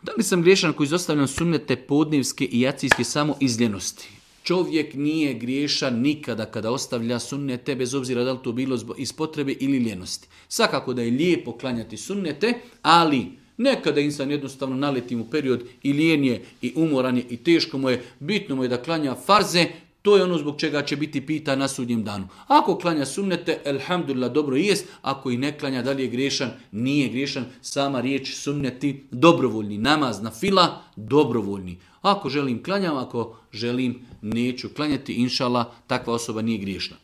Da li sam griješan koji izostavljam sunnete podnevske i jacijske samo iz ljenosti? Čovjek nije griješan nikada kada ostavlja sunnete, bez obzira da li to bilo iz potrebe ili ljenosti. Svakako da je lijepo klanjati sunnete, ali nekada insan jednostavno naleti u period i lijen je, i umoran je, i teško mu je, bitno mu je da klanja farze, to je ono zbog čega će biti pitan na sudnjem danu. Ako klanja sunnete, elhamdulillah, dobro jest. Ako i ne klanja, da li je griješan? Nije griješan. Sama riječ sunneti, dobrovoljni. Namaz na fila, dobrovoljni. Ako želim klanjam, ako želim neću klanjati, inšallah, takva osoba nije griješna.